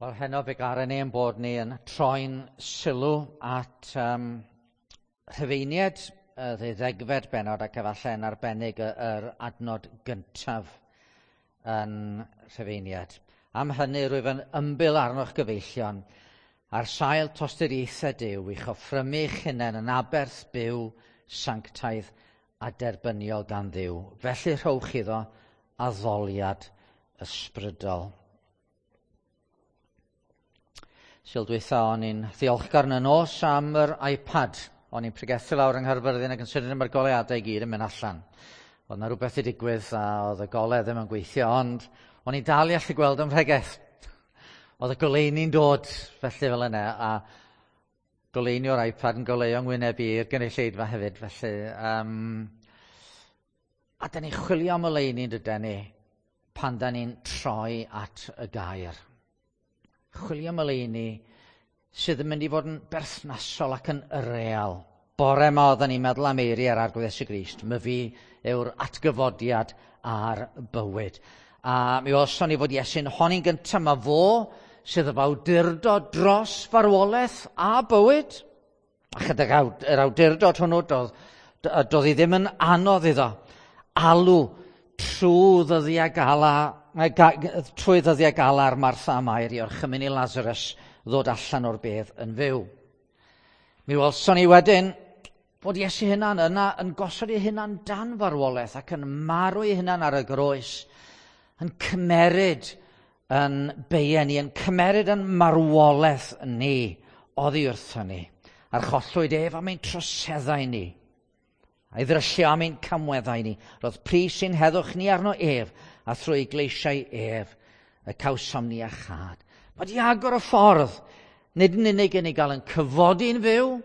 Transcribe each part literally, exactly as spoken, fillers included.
Wel, heno fe garen ni ein bod ni yn troi'n sylw at um, Rhufeiniaid, y ddeuddegfed bennod ac efallai yn arbennig yr adnod gyntaf yn Rhufeiniaid. Am hynny rwyf yn ymbil arnoch gyfeillion ar sail tosturiaethau Duw i'ch offrymu eich hunain yn aberth byw, sanctaidd a derbyniol gan Dduw. Felly rhowch iddo addoliad ysbrydol. Sul dwytha o'n i'n ddiolchgar yn y nos am yr iPad. O'n i'n pregethu lawr yng Nghaerfyrddin ac yn sydyn mae'r goleadau i gyd yn mynd allan. Oedd 'na rhywbeth i digwydd a oedd y golau ddim yn gweithio, ond o'n i'n dal i allu gweld ym mhregeth. Oedd y goleuni'n dod felly fel yna, a goleuni o'r iPad yn goleuo ngwyneb i i'r gynulleidfa hefyd, felly. Um, a da ni'n chwilio am oleuni, dydan ni, pan da ni'n troi at y gair. Chwilio am oleuni sydd yn mynd i fod yn berthnasol ac yn real. Bore yma oedden ni'n meddwl am eiriau'r Arglwydd Iesu Grist. Myfi yw'r atgyfodiad a'r bywyd. A mi welson ni fod Iesu'n honi'n gyntaf, mae fo sydd efo awdurdod dros farwolaeth a bywyd. A chydag yr awdurdod hwnnw, doedd, doedd hi ddim yn anodd iddo alw trwy ddyddiau gala, trwy ddyddiau gala'r Martha a Mair i orchymyn i Lazarus ddod allan o'r bedd yn fyw. Mi welson ni wedyn bod Iesu hunan yna yn gosod ei hunan dan farwolaeth ac yn marw ei hunan ar y groes, yn cymeryd yn beien ni, yn cymeryd yn marwolaeth ni oddi wrtho ni. Archollwyd ef am ein troseddau ni, a'i ddryllio am ein camweddau ni. Roedd pris ein heddwch ni arno ef, a thrwy gleisiau ef y cawsom ni iachâd. Mae di agor y ffordd, nid yn unig yn ei gael yn cyfodi'n fyw,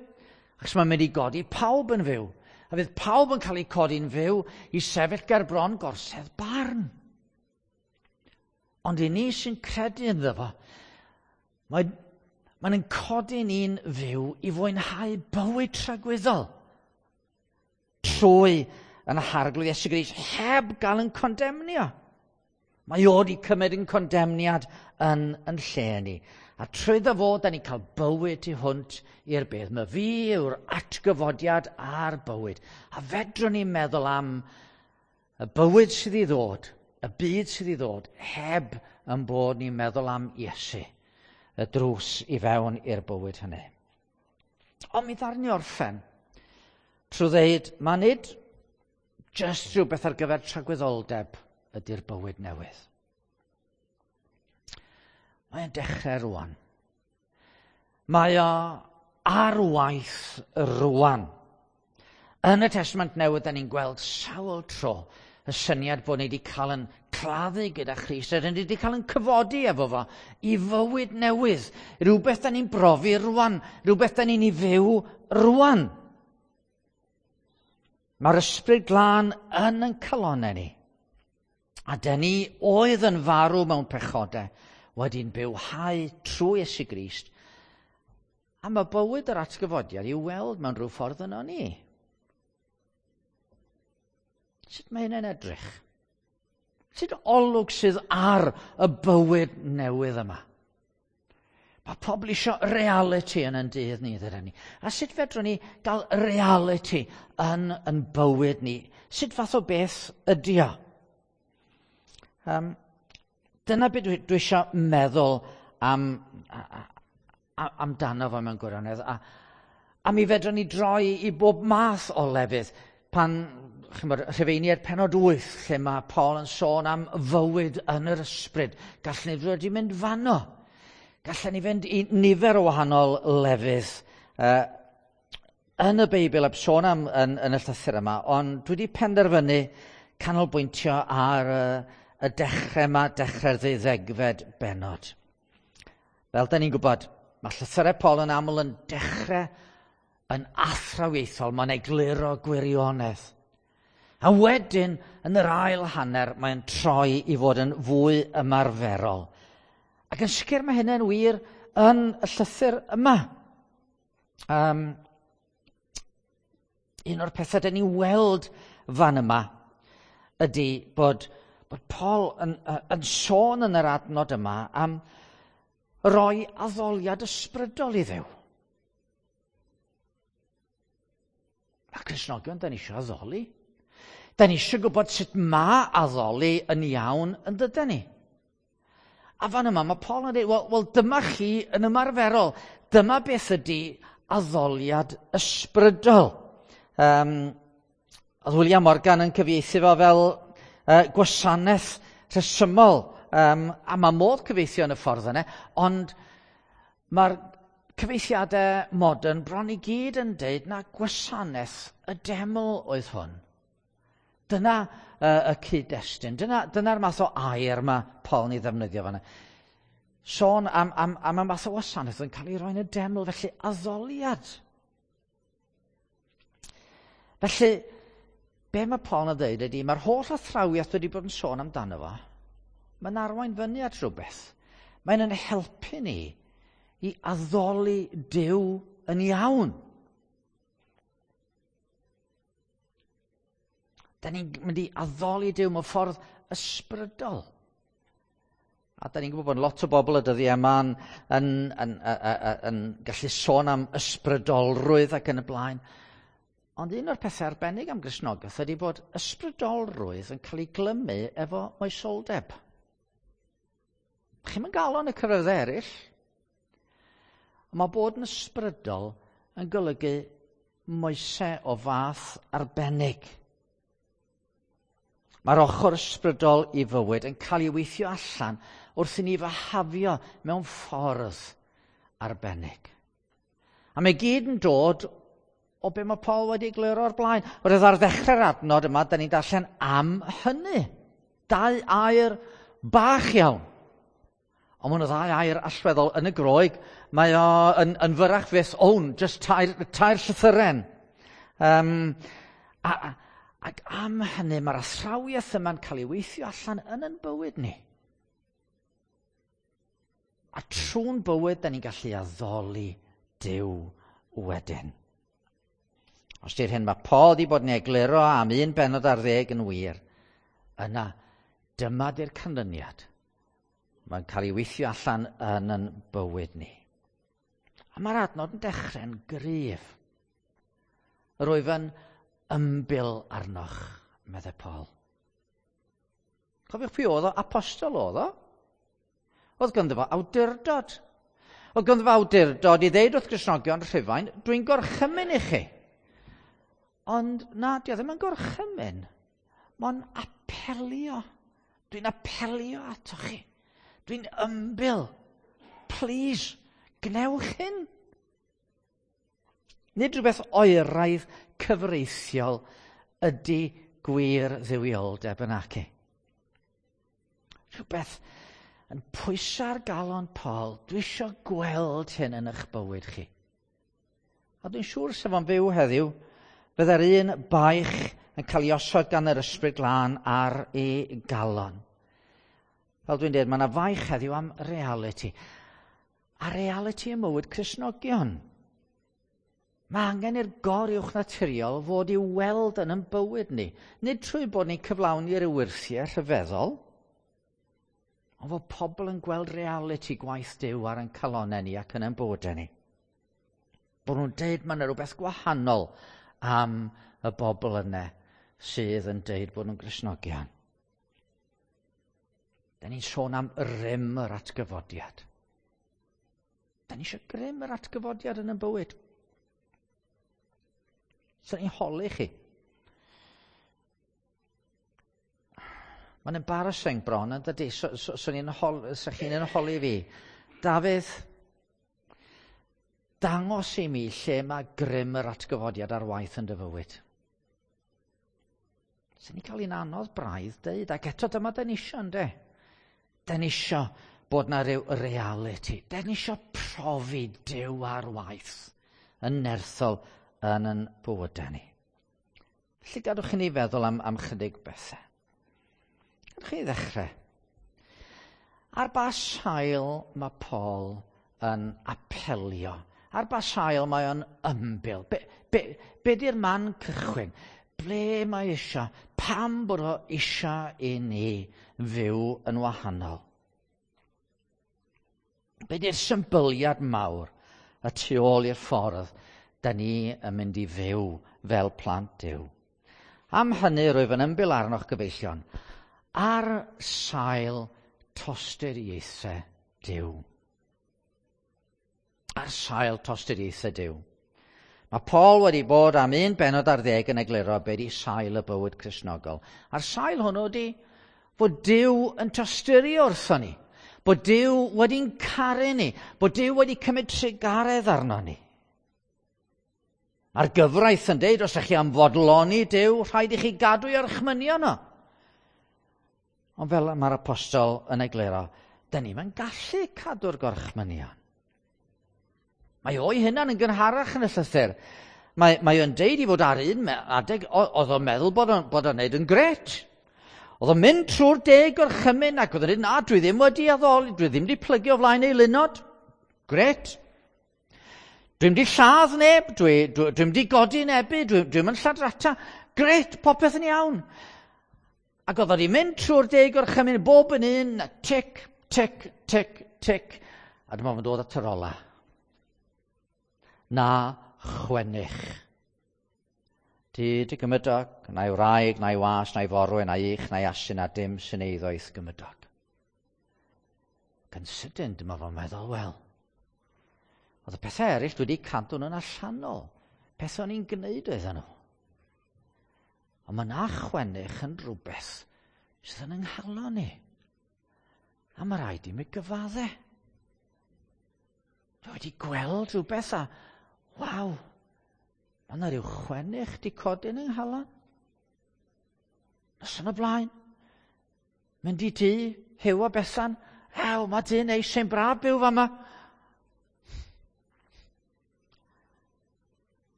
achos mae'n mynd i godi pawb yn fyw. A fydd pawb yn cael eu codi'n fyw i sefyll ger bron gorsedd barn. Ond i ni sy'n credu ynddo fo, mae, mae'n codi ni'n fyw i fwynhau bywyd tragwyddol trwy yn Harglwydd Iesu Grist heb gael yn condemnio. Mae o wedi cymryd yn condemniad yn, yn lle ni. A trwyddo fo, da ni'n cael bywyd tu hwnt i'r bedd. Mae fi yw'r atgyfodiad a'r bywyd. A fedrwn ni meddwl am y bywyd sydd i ddod, y byd sydd i ddod, heb yn bod ni'n meddwl am Iesu, y drws i fewn i'r bywyd hynny. Ond mi ddaru ni orffen trwy ddeud, mae nid jyst rhywbeth ar gyfer tragwyddoldeb ydy'r bywyd newydd. Mae'n dechrau rwan. Mae o ar waith rwan. Yn y Testament Newydd, da ni'n gweld sawl tro y syniad bod ni wedi cael yn claddu gyda Christ, a ni wedi cael yn cyfodi efo fo i fywyd newydd. Rhywbeth da ni'n brofi rwan, rhywbeth da ni'n ei fyw rwan. Mae'r Ysbryd Glân yn yn calonnau ni. A da ni oedd yn farw mewn pechodau wedi'n bywhau trwy Iesu Grist. A mae bywyd yr atgyfodiad i'w weld mewn rhyw ffordd yno ni. Sut mae hynny'n edrych? Sut olwg sydd ar y bywyd newydd yma? Mae pobl eisiau reality yn yn dydd ni, ddydyn ni. A sut fedrwn ni gael reality yn yn bywyd ni? Sut fath o beth ydy o? Um, dyna beth dwi, dwi eisiau meddwl am, a, amdano fo mewn gwirionedd. A, a mi fedrwn ni droi i bob math o lefydd. Pan, chymod, Rhufeiniaid pennod wyth, lle mae Paul yn sôn am fywyd yn yr ysbryd. Gallwn ni fod wedi mynd fanno. Gallen ni fynd i nifer o wahanol lefydd uh, yn y Beibl heb sôn am yn, yn y llythyr yma, ond dwi wedi penderfynu canolbwyntio ar uh, y dechrau yma, dechrau'r ddeuddegfed bennod. Fel da ni'n gwybod, mae llythyrau Paul yn aml yn dechrau yn athrawiaethol, mae'n egluro gwirionedd. A wedyn, yn yr ail hanner, mae'n troi i fod yn fwy ymarferol. Ac yn sicr mae hynny'n wir yn y llythyr yma. Um, un o'r pethau dyn ni'n weld fan yma ydy bod, bod Paul yn, yn sôn yn yr adnod yma am roi addoliad ysbrydol i Dduw. Mae Cristnogion, da ni eisiau addoli. Da ni eisiau gwybod sut mae addoli yn iawn yn dydan ni. A fan yma mae Paul yn dweud, wel, wel dyma chi yn ymarferol. Dyma beth ydy addoliad ysbrydol. Um, oedd William Morgan yn cyfieithu fo fel uh, gwasanaeth rhesymol. Um, a mae modd cyfieithu yn y ffordd yna, ond mae'r cyfieithiadau modern bron i gyd yn deud na gwasanaeth y deml oedd hwn. Dyna uh, y cyd-destun, dyna, dyna'r math o air mae Paul yn ei ddefnyddio fanna. Sôn am, am, am y math o wasanaeth yn cael ei roi yn y deml, felly addoliad. Felly, be mae Paul yn dweud ydy, mae'r holl athrawiaeth wedi bod yn sôn amdano fo, mae'n arwain fyny at rhywbeth. Mae'n yn helpu ni i addoli Duw yn iawn. Da ni'n mynd i addoli Duw mewn ffordd ysbrydol. A da ni'n gwybod bod lot o bobl y dyddiau yma yn, yn, yn, yn, yn gallu sôn am ysbrydolrwydd ac yn y blaen. Ond un o'r pethau arbennig am Gristnogaeth ydy bod ysbrydolrwydd yn cael ei glymu efo moesoldeb. Chi'm yn gael o'n y cyfryngau eraill. Ond mae bod yn ysbrydol yn golygu moesau o fath arbennig. Mae'r ochr ysbrydol i fywyd yn cael ei weithio allan wrth i ni fyhafio mewn ffordd arbennig. A mae gyd yn dod o be mae Paul wedi egluro o'r blaen. Roedd ar ddechrau'r adnod yma, da ni'n darllen am hynny. Dau air bach iawn. Ond mae yna ddau air allweddol yn y Groeg. Mae o yn, yn fyrrach fyth own, just tair, tair llythyren. Um, a, ac am hynny, mae'r athrawiaeth yma'n cael ei weithio allan yn yn bywyd ni. A trwy'n bywyd, da ni'n gallu addoli Duw wedyn. Os di'r hyn mae Paul wedi bod yn egluro am un bennod ar ddeg yn wir, yna dyma di'r canlyniad. Mae'n cael ei weithio allan yn yn bywyd ni. A mae'r adnod yn dechrau'n gryf. Rwyf yn ymbil arnoch, meddai Paul. Cofiwch pwy oedd o? Apostol oedd o. Oedd ganddo fo awdurdod. Oedd ganddo fo awdurdod i ddeud wrth Gristnogion Rhufain, dwi'n gorchymyn i chi. Ond na, di o ddim yn gorchymyn. Mae'n apelio. Dwi'n apelio atoch chi. Dwi'n ymbil. Please, gnewch hyn. Nid rhywbeth oeraidd cyfreithiol ydy gwir dduwioldeb yn aci. Rhywbeth yn pwyso ar galon Paul, dwi eisiau gweld hyn yn eich bywyd chi. A dwi'n siŵr sef o'n fyw heddiw, fydda'r un baich yn cael ei osod gan yr Ysbryd Glân ar ei galon. Fel dwi'n dweud, mae yna faich heddiw am reality. A reality ym mywyd Cristnogion. Mae angen i'r goruwch naturiol fod i'w weld yn ein bywyd ni. Nid trwy bod ni'n cyflawni ryw wyrthiau rhyfeddol, ond fod pobl yn gweld reality gwaith Duw ar ein calonnau ni ac yn ein bywydau ni. Bod nhw'n deud mae yna rhywbeth gwahanol am y bobl yna sydd yn deud bod nhw'n Gristnogion. Da ni'n sôn am rym yr atgyfodiad. Da ni eisiau grym yr atgyfodiad yn ein bywyd. So ni'n holi chi. Mae'n embarrassing bron, yn dydy? So, so, so ni'n hol, so chi'n yn holi fi. Dafydd, dangos i mi lle mae grym yr atgyfodiad ar waith yn dy fywyd. So ni'n cael un anodd braidd deud, ac eto dyma da ni isio, ynde? Da ni isio bod na ryw reality. Da ni isio profi Duw ar waith yn nerthol yn yn bywydau ni. Felly gadwch i ni feddwl am, am chydig bethau. Gadwch i ni ddechrau. Ar ba sail mae Paul yn apelio? Ar ba sail mae o'n ymbil? Be, be, be di'r man cychwyn? Ble mae eisiau? Pam bod o eisiau i ni fyw yn wahanol? Be di'r symbyliad mawr y tu ôl i'r ffordd da ni yn mynd i fyw fel plant Duw? Am hynny rwyf yn ymbil arnoch gyfeillion, ar sail tosturiaethau Duw. Ar sail tosturiaethau Duw. Mae Paul wedi bod am un bennod ar ddeg yn egluro be di sail y bywyd Cristnogol. A'r sail hwnnw di fod Duw yn tosturi wrthon ni. Bod Duw wedi'n caru ni. Bod Duw wedi cymryd trugaredd arno ni. Mae'r gyfraith yn deud, os ydych chi am fodloni Duw, rhaid i chi gadw i orchmynion o. Ond fel mae'r apostol yn egluro, dyn ni'm yn gallu cadw'r gorchmynion. Mae o'i hunan yn gynharach yn y llythyr. Mae, mae o'n deud i fod ar un adeg, oedd o'n meddwl bod o'n, bod o'n neud yn gret. Oedd o'n mynd trwy'r deg gorchymyn ac oedd o'n dweud, na, dwi ddim wedi addoli, dwi ddim wedi plygio o flaen eilunod. Gret. Dwi'm wedi lladd neb, dwi, dwi, dwi'm wedi godi nebu, dwi, dwi'm yn lladrata. Gret, popeth yn iawn. Ac oedd wedi mynd trwy'r deg gorchymyn, bob yn un, tic, tic, tic, tic. A dyma fo'n dod at yr ola. Na chwennych. Di dy gymydog, na'i wraig, na'i was, na'i forwyn, na'i ych, na'i asyn, a dim sy'n eiddo i'th gymydog. Ac yn sydyn, dyma fo'n meddwl, wel, oedd y pethau eraill dwi wedi cadw nhw'n allanol. Pethau o'n i'n gwneud oedden nhw. Ond mae na chwennych yn rhywbeth sydd yn ynghalon ni. A mae rhaid i mi gyfadde. Dwi wedi gweld rhywbeth a, waw, mae yna rhyw chwennych di codi yn ynghalon. Noson o blaen, mynd i dŷ, Huw a Bethan, ew, mae dŷ neis, sy'n braf byw fama.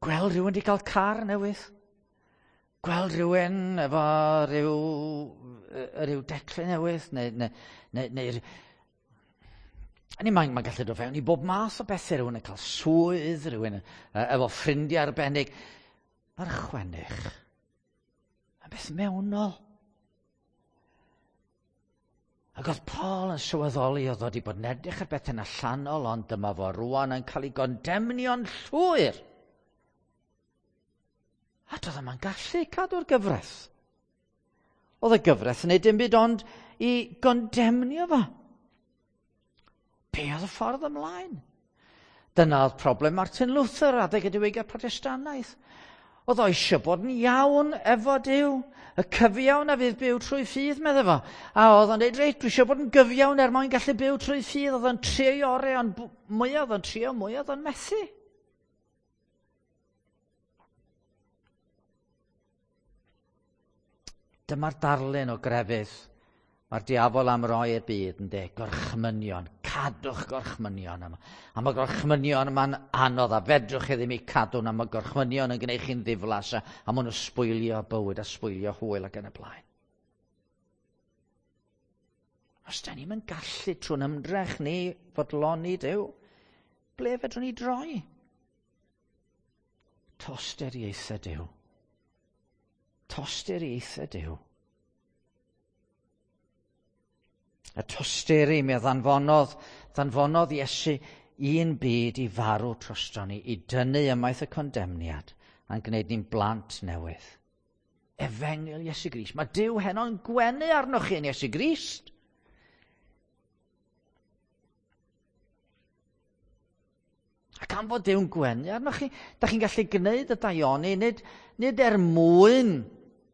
Gweld rhywun di cael car newydd. Gweld rhywun efo rhyw, rhyw declyn newydd, neu, neu, neu, neu A ni, mae'n mae gallu dod fewn i bob math o bethau, rhywun yn cael swydd, rhywun efo ffrindiau arbennig. Mae'r chwennych yn beth mewnol. Ac oedd Paul yn sylweddoli oedd wedi bod yn edrych ar bethau'n allanol, ond dyma fo rwan yn cael ei gondemnio'n llwyr. A doedd yma'n gallu cadw'r gyfraith. Oedd y gyfraith yn neud dim byd ond i gondemnio fo. Be oedd y ffordd ymlaen? Dyna oedd problem Martin Luther adeg y diwygiad Protestannaidd. Oedd o eisiau bod yn iawn efo Duw. Y cyfiawn a fydd byw trwy ffydd, medde fo. A oedd o'n dweud, reit, dwi eisiau bod yn gyfiawn er mwyn gallu byw trwy ffydd. Oedd o'n trio i orau, ond mwyaf oedd o'n trio, mwyaf oedd o'n methu. Dyma'r darlun o grefydd. Mae'r diafol am roi i'r byd yn dweud, gorchmynion, cadwch gorchmynion yma. A mae gorchmynion yma'n anodd a fedrwch chi ddim eu cadw, a mae gorchmynion yn gwneud chi'n ddiflas a, a maen nhw'n sbwylio bywyd a sbwylio hwyl ac yn y blaen. Os da ni'm yn gallu trwy'n ymdrech ni fodloni Duw, ble fedrwn ni droi? Tosturiaethau Duw. Tosturiaethau Duw. Y tosturi mi ddanfonodd, ddanfonodd Iesu un byd i farw drosto ni, i dynnu ymaith y condemniad, a'n gwneud ni'n blant newydd. Efengyl Iesu Grist. Mae Duw heno'n gwenu arnoch chi yn Iesu Grist. Ac am fod Duw'n gwenu arnoch chi, da chi'n gallu gwneud y daioni, nid, nid er mwyn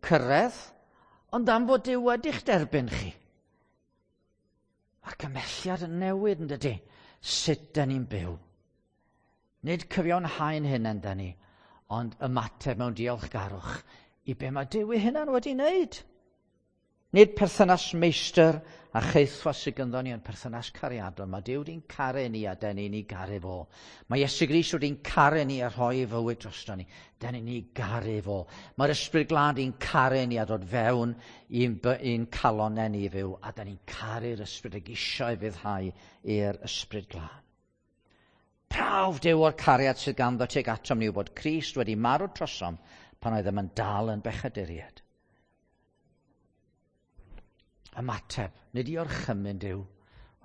cyrraedd, ond am fod Duw wedi'ch derbyn chi. Mae'r cymelliad yn newid yn dydy, sut da ni'n byw. Nid cyfiawnhau'n hunain da ni, ond ymateb mewn diolchgarwch i be mae Duw ei hunan wedi wneud. Nid perthynas meistr a chaethwas sydd ganddo ni, ond perthynas cariadon. Mae Duw wedi'n caru ni a da ni'n ei garu fo. Mae Iesu Grist wedi'n caru ni a rhoi ei fywyd drosto ni. Da ni'n ei garu fo. Mae'r Ysbryd Glân wedi'n caru ni a dod fewn i'n, i'n calonnau ni fyw. A da ni'n caru'r Ysbryd ag isio ei fyddhau i'r Ysbryd Glân. Prawf Duw o'r cariad sydd ganddo tuag atom ni yw bod Crist wedi marw trosom pan oeddem yn dal yn bechaduriaid. Ymateb, nid i orchymyn Duw,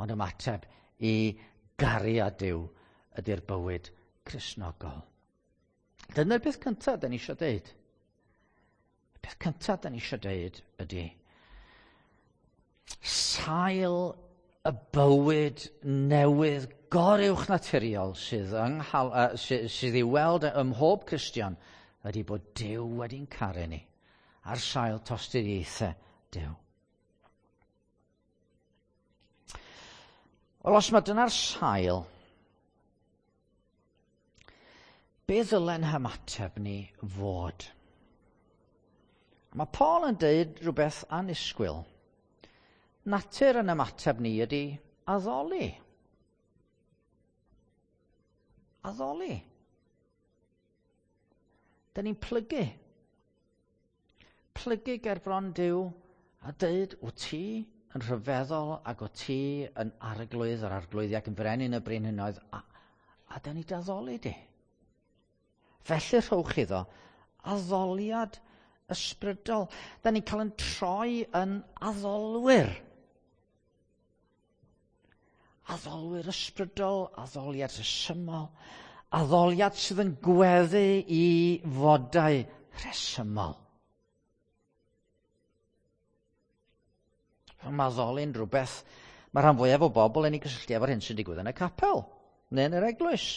ond ymateb i gariad Duw ydy'r bywyd Cristnogol. Dyna'r peth cyntaf da ni eisiau deud. Y peth cyntaf da ni eisiau deud ydy sail y bywyd newydd goruwch naturiol sydd, yng, uh, sydd, sydd i'w weld ym mhob Cristion ydy bod Duw wedi'n caru ni ar sail tosturiaethau Duw. Wel, os mae dyna'r sail, be ddylen hymateb ni fod? Mae Paul yn deud rhywbeth annisgwyl. Natur yn ymateb ni ydy addoli. Addoli. Da ni'n plygu. Plygu ger bron Duw a deud, wyt ti yn rhyfeddol ac wyt ti yn arglwydd yr arglwyddi ac yn frenin y brenhinoedd, a, a da ni d'addoli di. Felly rhowch iddo addoliad ysbrydol. Da ni'n cael yn troi yn addolwyr. Addolwyr ysbrydol, addoliad rhesymol, addoliad sydd yn gweddu i fodau rhesymol. Mae addoli'n rhywbeth, mae rhan fwyaf o bobl yn ei gysylltu efo'r hyn sy'n digwydd yn y capel, neu yn yr eglwys.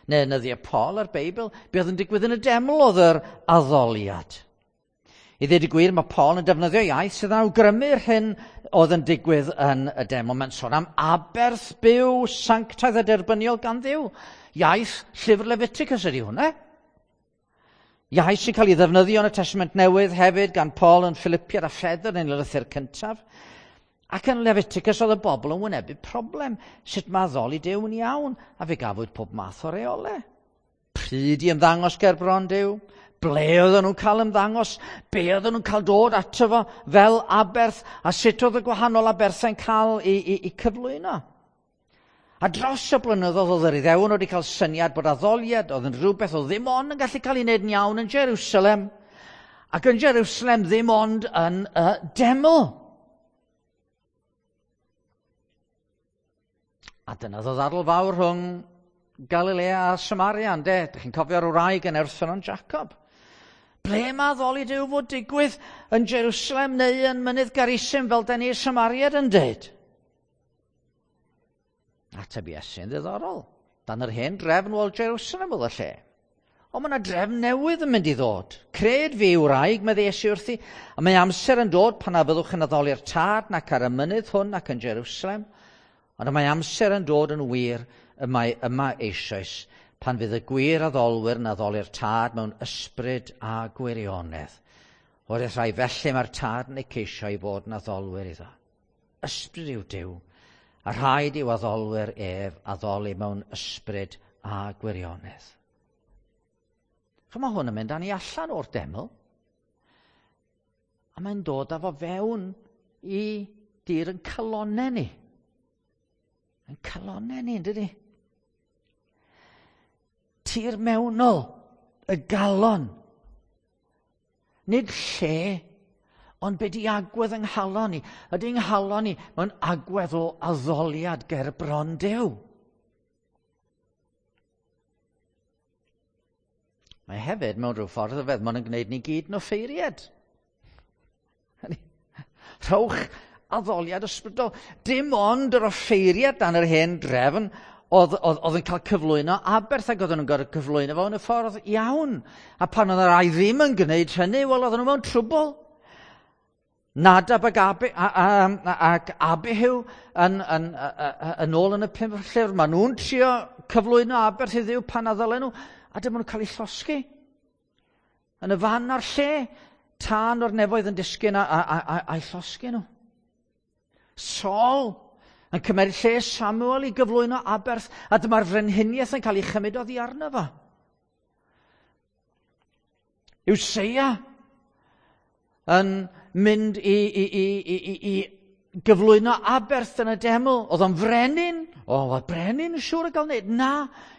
Neu yn nyddiau Paul a'r Beibl, be oedd yn digwydd yn y deml oedd yr addoliad. I ddweud y gwir, mae Paul yn defnyddio iaith sydd yn awgrymu'r hyn oedd yn digwydd yn y deml. Mae'n sôn am aberth byw sanctaidd a derbyniol gan Dduw. Iaith llyfr Leviticus ydy hwnna. Iaith sy'n cael ei ddefnyddio yn y Testament Newydd hefyd gan Paul yn Philippiad a Phedr yn ei lythyr cyntaf. Ac yn Leviticus oedd y bobl yn wynebu problem. Sut mae addoli Duw yn iawn? A fe gafwyd pob math o reolau. Pryd i ymddangos ger bron Duw? Ble oedden nhw'n cael ymddangos? Be oedden nhw'n cael dod ato fo fel aberth? A sut oedd y gwahanol aberthau'n cael ei, ei, ei cyflwyno? A dros y blynyddoedd oedd yr Iddewon wedi cael syniad bod addoliad oedd yn rhywbeth oedd ddim ond yn gallu cael ei wneud yn iawn yn Jerusalem. Ac yn Jerusalem ddim ond yn y deml. A dyna oedd y ddadl fawr rhwng Galilea a Samaria, ynde? Dych chi'n cofio'r wraig yn Erffynon Jacob? Ble mae addoli Duw fod digwydd yn Jerusalem neu yn Mynydd Garisim fel da ni'r Samariad yn deud? Ateb Iesu'n ddiddorol. Dan yr hen drefn wel Jerusalem oedd y lle. Ond mae yna drefn newydd yn mynd i ddod. Cred fi wraig, medde Iesu wrthi, a mae amser yn dod pan na fyddwch yn addoli'r Tad nac ar y mynydd hwn ac yn Jerusalem. Ond mae amser yn dod yn wir y mae yma eisoes pan fydd y gwir addolwyr yn addoli'r Tad mewn ysbryd a gwirionedd. O'r rhai felly mae'r Tad yn eu ceisio i fod yn addolwyr iddo. Ysbryd yw Duw, a rhaid i'w addolwyr ef addoli mewn ysbryd a gwirionedd. Chymod, mae hwn yn mynd â ni allan o'r deml, a mae'n dod â fo fewn i dir yn calonau ni. Yn calonau ni, yn dydi? Tir mewnol, y galon. Nid lle, ond be di agwedd yng nghalon ni. Ydy yng nghalon ni mewn agwedd o addoliad ger bron Duw. Mae hefyd mewn rhyw ffordd ryfedd, mae'n gwneud ni gyd yn offeiriad. Rhowch addoliad ysbrydol. Dim ond yr offeiriad dan yr hen drefn oedd, oedd, oedd yn cael cyflwyno aberth ac oedden nhw'n gorfod cyflwyno fo yn y ffordd iawn. A pan oedd y rai ddim yn gwneud hynny, wel oedden nhw mewn trwbl. Nadab ac, Abi, a, a, ac Abihu yn, yn, yn, yn ôl yn y pum llyfr, maen nhw'n trio cyflwyno aberth i Dduw pan addolen nhw, a dyma nhw'n cael eu llosgi. Yn y fan a'r lle, tân o'r nefoedd yn disgyn a, a, a, a, a'i llosgi nhw. Saul yn cymryd lle Samuel i gyflwyno aberth, a dyma'r frenhiniaeth yn cael ei chymryd oddi arno fo. Useia yn mynd i, i, i, i, i, i gyflwyno aberth yn y deml. Oedd o'n frenin. O, oedd brenin yn siŵr o gael wneud. Na,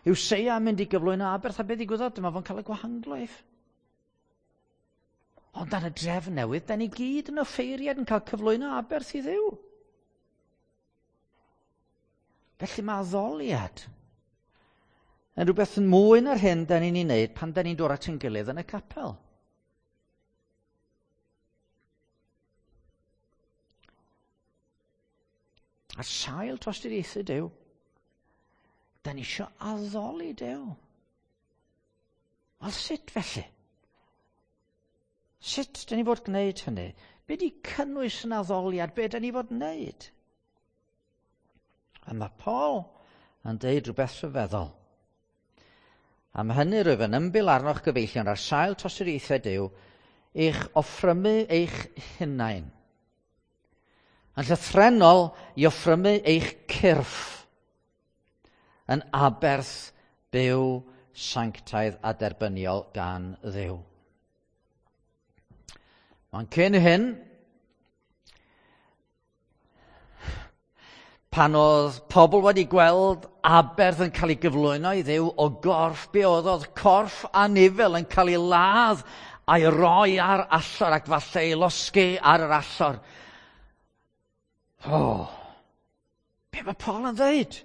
Useia yn mynd i gyflwyno aberth, a beth ddigwyddodd? Dyma fo'n cael y gwahanglwyf. Ond dan y drefn newydd, da ni gyd yn offeiriad yn cael cyflwyno aberth i Dduw. Felly mae addoliad yn rhywbeth yn mwy na'r hyn da ni'n ei wneud pan da ni'n dod at ein gilydd yn y capel. Ar sail tosturiaethau Duw, da ni isio addoli Duw. Wel, sut felly? Sut da ni fod gwneud hynny? Be di cynnwys yn addoliad? Be da ni fod wneud? A mae Paul yn deud rhywbeth rhyfeddol. Am hynny rwyf yn ymbil arnoch gyfeillion ar sail tosturiaethau Duw, eich offrymu eich hunain. Yn llythrennol i offrymu eich cyrff yn aberth byw sanctaidd a derbyniol gan Dduw. Ond cyn hyn, pan oedd pobl wedi gweld aberth yn cael ei gyflwyno i Dduw o gorff, be oedd oedd corff anifel yn cael ei ladd a'i roi ar allor ac falle ei losgi ar yr allor. Oh, be mae Paul yn dweud?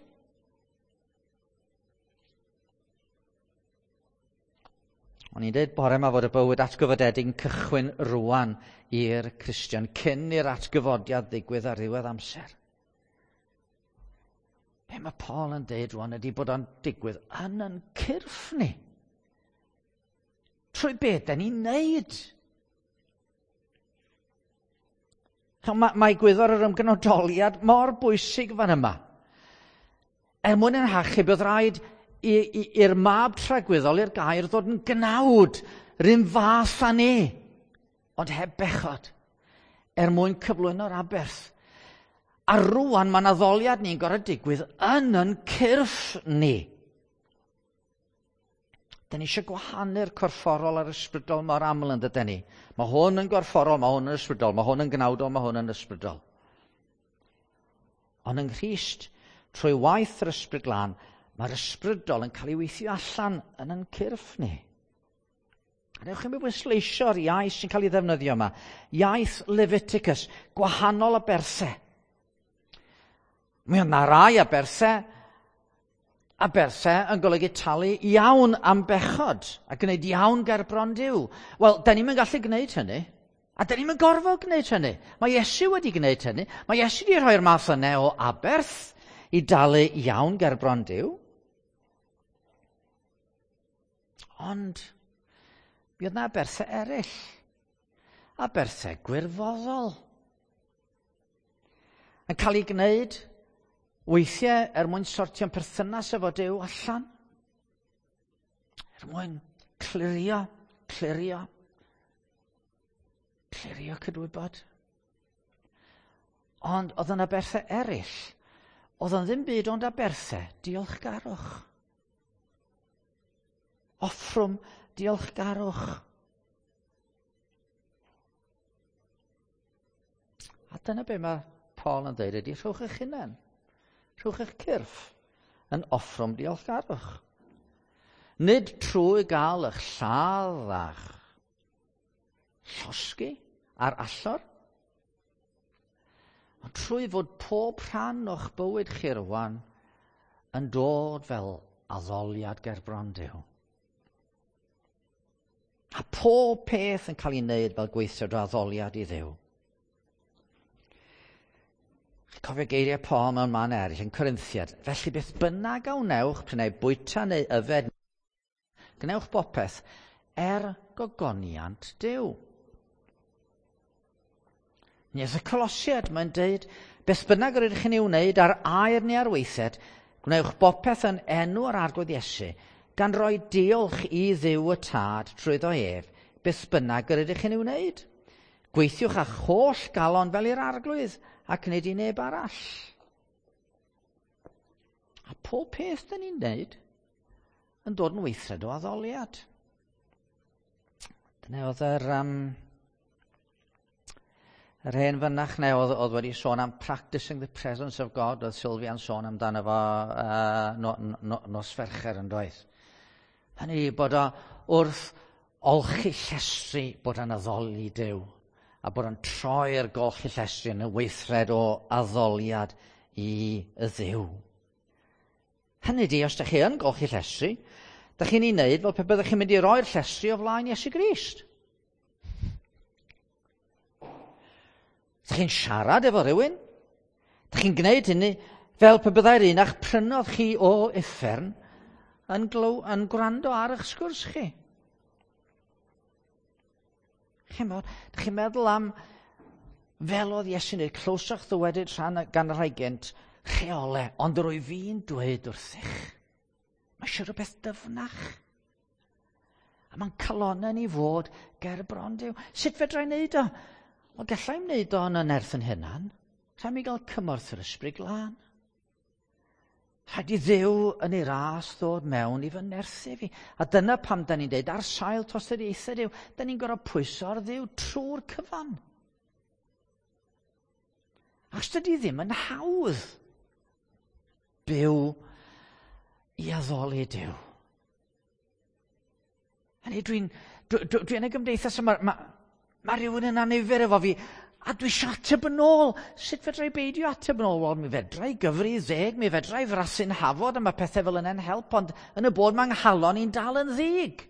O'n i'n dweud bore yma fod y bywyd atgyfodedig yn cychwyn rwan i'r Cristion cyn i'r atgyfodiad ddigwydd ar ddiwedd amser. Be mae Paul yn dweud rwan ydy bod o'n digwydd yn yn cyrff ni. Trwy beth da ni'n neud. Mae, mae gwyddor yr ymgnodoliad mor bwysig fan yma. Er mwyn yn hachub, bydd rhaid i'r mab tragwyddol, i'r gair, ddod yn gnawd, rhywun fath â ni, ond heb bechod, er mwyn cyflwyno'r aberth. A rwan mae'n addoliad ni'n gorfod digwydd yn yn cyrff ni. Da ni eisiau gwahanu'r corfforol a'r ysbrydol mor aml yn dydyn ni. Mae hwn yn gorfforol, mae hwn yn ysbrydol, mae hwn yn gnawdol, mae hwn yn ysbrydol. Ond yng Nghrist, trwy waith yr ysbryd glân, mae'r ysbrydol yn cael ei weithio allan yn yn cyrff ni. A newch chi mi bwysleisio'r iaith sy'n cael ei ddefnyddio yma. Iaith Leviticus, gwahanol aberthau. Mi oedd 'na rai aberthau, aberthau yn golygu talu iawn am bechod a gwneud iawn ger bron Duw. Wel, da ni'm yn gallu gwneud hynny, a da ni'm yn gorfod gwneud hynny. Mae Iesu wedi gwneud hynny. Mae Iesu wedi rhoi'r math yna o aberth i dalu iawn ger bron Duw. Ond, mi oedd 'na aberthau eraill, aberthau gwirfoddol, yn cael ei gwneud weithiau er mwyn sortio'n perthynas efo Duw allan, er mwyn clirio, clirio, clirio cydwybod. Ond oedd yna aberthau eraill, oedd yn ddim byd ond aberthau diolchgarwch. Offrwm diolchgarwch. A dyna be mae Paul yn dweud ydy, rhowch eich hunain, rhowch eich cyrff yn offrwm diolchgarwch. Nid trwy gael eich lladd a'ch llosgi ar allor, ond trwy fod pob rhan o'ch bywyd chi rwan yn dod fel addoliad ger bron Duw. A pob peth yn cael ei wneud fel gweithred o addoliad i Dduw. Cofio geiriau Paul mewn man eraill yn Corinthiad. Felly beth bynnag a wnewch, prynau bwyta neu yfed, gwnewch bopeth er gogoniant Duw. Nes y Colosiad mae'n deud, beth bynnag yr ydych chi'n ei wneud ar air neu ar weithed, gwnewch bopeth yn enw yr Arglwydd Iesu, gan roi diolch i Dduw y Tad trwyddo ef, beth bynnag yr ydych chi'n ei wneud. Gweithiwch â'ch holl galon fel i'r Arglwydd, ac nid i neb arall. A pob peth dyn ni'n wneud yn dod yn weithred o addoliad. Dyna oedd yr, um, yr hen fynach neu oedd, oedd wedi sôn am practicing the presence of God, oedd Sylvia'n sôn amdano fo uh, no, no, nos Fercher yn doedd. Hynny bod o wrth olchi llestri bod yn addoli Duw, a bod yn troi'r golchi llestri yn y weithred o addoliad i y Dduw. Hynny di, os ydych chi yn golchi llestri, ydych chi'n ei wneud fel pe byddech chi'n mynd i roi'r llestri o flaen Iesu Grist. Ydych chi'n siarad efo rhywun? Ydych chi'n gwneud hynny fel pe byddai'r un a'ch prynodd chi o uffern yn, glow, yn gwrando ar eich sgwrs chi. Chi'n Ydych chi'n meddwl am fel oedd Iesu'n dweud, clywsoch ddywedyd rhan gan y rhai gynt, rheolau, ond yr wyf fi'n dweud wrthych. Mae eisiau rhywbeth dyfnach. A mae'n calonnau ni fod ger bron Duw. Sut fedra i wneud o? Wel, gallai wneud o yn y nerth yn hunan. Rhaid mi gael cymorth yr Ysbryd Glân. Rhaid i Dduw yn ei ras ddod mewn i fy nerthu fi. A dyna pam da ni'n deud, ar sail tosturiaethau Duw, da ni'n gorfod pwyso ar Dduw trwy'r cyfan. Achos dydy ddim yn hawdd byw i addoli Duw. Hynny, dwi'n dwi, dwi, dwi yn y gymdeithas yma, mae ma rhywun yn annifyr efo fi, a dwi eisiau ateb yn ôl. Sut fedra i beidio ateb yn ôl? Wel, mi fedra i gyfri ddeg, mi fedra i frasu'n hafod, a mae pethau fel yna'n help, ond yn y bod mae 'nghalon i'n dal yn ddig.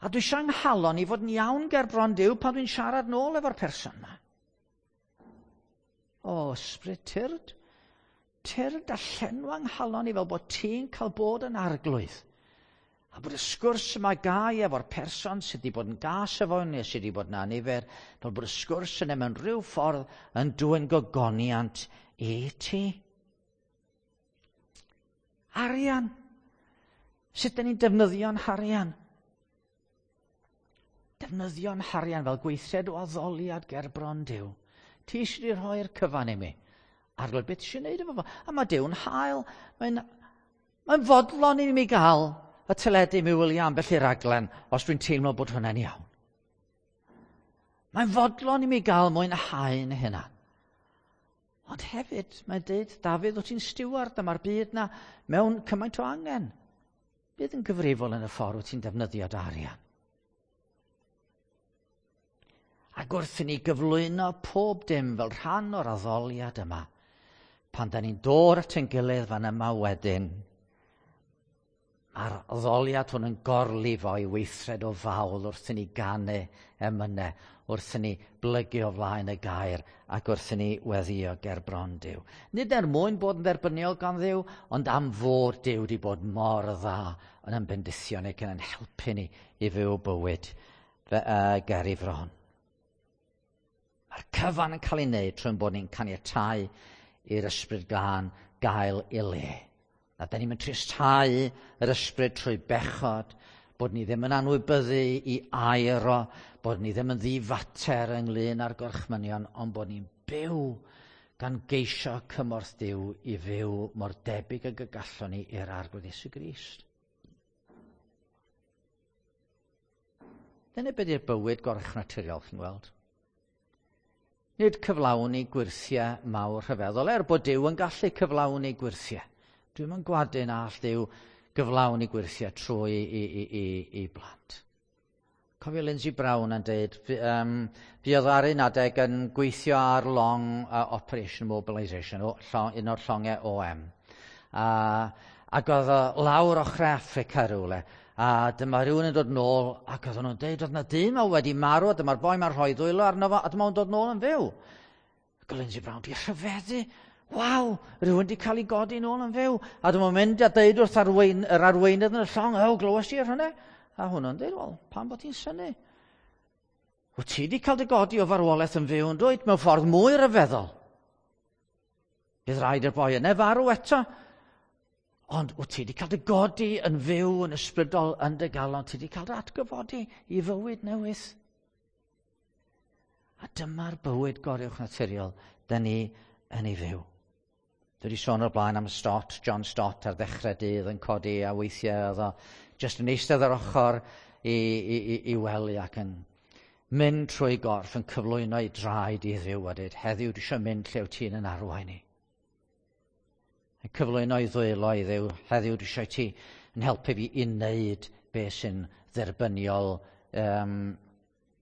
A dwi eisiau 'nghalon i fod yn iawn ger bron Duw pan dwi'n siarad nôl efo'r person yma. O, Ysbryd, tyrd, tyrd a llenwa 'nghalon i fel bod ti'n cael bod yn arglwydd. A bod y sgwrs yma gai efo'r person sydd wedi bod yn gas efo neu sydd wedi bod yn annifyr, fel bod y sgwrs yna mewn rhyw ffordd yn dwyn gogoniant i ti. Arian. Sut dyn ni'n defnyddio'n harian? Defnyddio'n harian fel gweithred o addoliad ger bron Duw. Ti eisiau wedi rhoi'r cyfan i mi. Arglwydd, beth eisiau gwneud efo fo? A mae Duw'n hael. Mae'n mae fodlon i mi gael y teledu mi wylio ambell i raglen os dwi'n teimlo bod hwnna'n iawn. Mae'n fodlon i mi gael mwynhau'n hynna. Ond hefyd, mae'n dweud, Dafydd, wyt ti'n stiward a mae'r byd na mewn cymaint o angen. Bydd yn gyfrifol yn y ffordd wyt ti'n defnyddio dy arian. Ac wrth i ni gyflwyno pob dim fel rhan o'r addoliad yma, pan da ni'n dod at ein gilydd fan yma wedyn, mae'r addoliad hwn yn gorlifo i weithred o fawl wrth i ni ganu emynau, wrth i ni blygu o flaen y gair ac wrth i ni weddio ger bron Duw. Nid er mwyn bod yn dderbyniol gan Dduw, ond am fod Duw wedi bod mor dda yn ein bendithio ni ac yn ein helpu ni i fyw bywyd fe, uh, ger ei fron. Mae'r cyfan yn cael ei wneud trwy'n bod ni'n caniatáu i'r Ysbryd Glân gael ei le. A da ni'n tristau yr ysbryd trwy bechod, bod ni ddim yn anwybyddu i air o, bod ni ddim yn ddifater ynglyn â'r gorchmynion, ond bod ni'n byw gan geisio cymorth Duw i fyw mor debyg ag y gallwn ni i'r Arglwydd Iesu Grist. Dyna beth yw'r bywyd goruwchnaturiol, chi'n gweld. Nid cyflawni gwyrthiau mawr rhyfeddol, er bod Duw yn gallu cyflawni gwyrthiau. Dwi'm yn gwadu na all Duw gyflawni gwyrthiau trwy i, i, i, i blant. Cofio Lindsay Brown yn dweud, um, fuodd ar un adeg yn gweithio ar long uh, Operation Mobilisation, o, llong, un o'r llongau O M. A, ac oedd o lawr ochr Affrica rhywle, a dyma rhywun yn dod nôl, ac oedden nhw'n dweud, oedd na dyn ma wedi marw, a dyma'r boi ma'n rhoi ddwylo arno fo, a dyma o'n dod nôl yn fyw. Ac oedd Lindsay Brown di rhyfeddu. Waw, rhywun wedi cael ei godi nôl yn fyw. A dyma'n mynd a deud wrth arwein, yr arweinydd yn y llong, o, glywes ti ar hynny? A hwnnw'n deud, wel, pam bod ti'n synnu? Wyt ti wedi cael dy godi o farwolaeth yn fyw yn dweud, mewn ffordd mwy rhyfeddol. Bydd rhaid i'r boi yna farw eto. Ond wyt ti wedi cael dy godi yn fyw yn ysbrydol yn dy galon, ti wedi cael dy atgyfodi i fywyd newydd. A dyma'r bywyd goruwchnaturiol da ni yn ei fyw. Dwi wedi sôn o'r blaen am Stott, John Stott ar ddechrau dydd yn codi a weithiau oedd o jyst yn eistedd ar ochr i, i, i, i wely ac yn mynd trwy gorff yn cyflwyno ei draed i Dduw a dweud, heddiw dwi eisiau mynd lle wyt ti'n yn arwain i. Yn cyflwyno ei ddwylo i Dduw, heddiw dwi eisiau ti yn helpu fi i wneud beth sy'n dderbyniol um,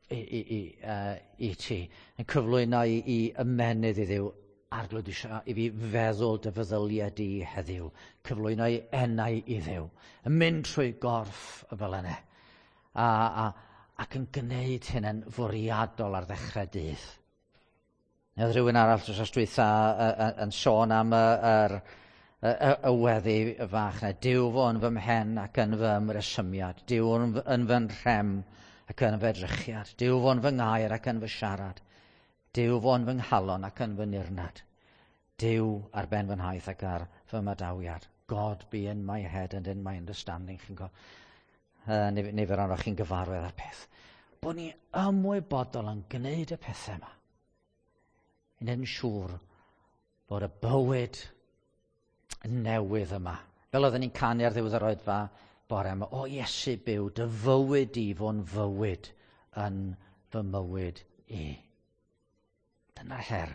i, i, i, uh, i ti. Yn cyflwyno i, i ymenydd i Dduw. Arglwydd, eisiau i fi feddwl dy feddyliau di heddiw, cyflwyno i enau i Dduw, yn mynd trwy gorff y fel yna, a, a, ac yn gwneud hyn yn fwriadol ar ddechrau dydd. Neu rhywun arall dros dwytha yn sôn am y, yr, y, y, y weddi fach yna. Duw fo yn fy mhen ac yn fy ymresymiad. Duw yn, yn fy nhrem ac yn fy edrychiad. Duw fo yn fy ngair ac yn fy siarad. Duw fo yn fy nghalon ac yn fy nirnad. Duw ar ben fy nhaith ac ar fy madawiad. God be in my head and in my understanding. Chi'n go, uh, nifer ohonoch chi'n gyfarwydd â'r peth. Bod ni ymwybodol yn gwneud y pethau yma. I wneud yn siŵr bod y bywyd newydd yma. Fel oedden ni'n canu ar ddiwedd yr oedfa bore yma, o Iesu byw, dy fywyd i fo'n fywyd yn fy mywyd i. Dyna'r her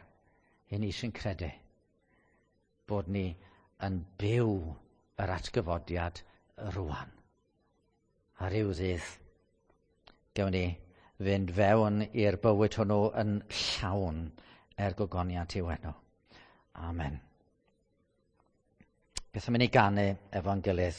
i ni sy'n credu bod ni yn byw yr atgyfodiad rwan. A ryw ddydd, gewn ni fynd fewn i'r bywyd hwnnw yn llawn er gogoniant i'w enw. Amen. Beth am i ni ganu efo'n gilydd?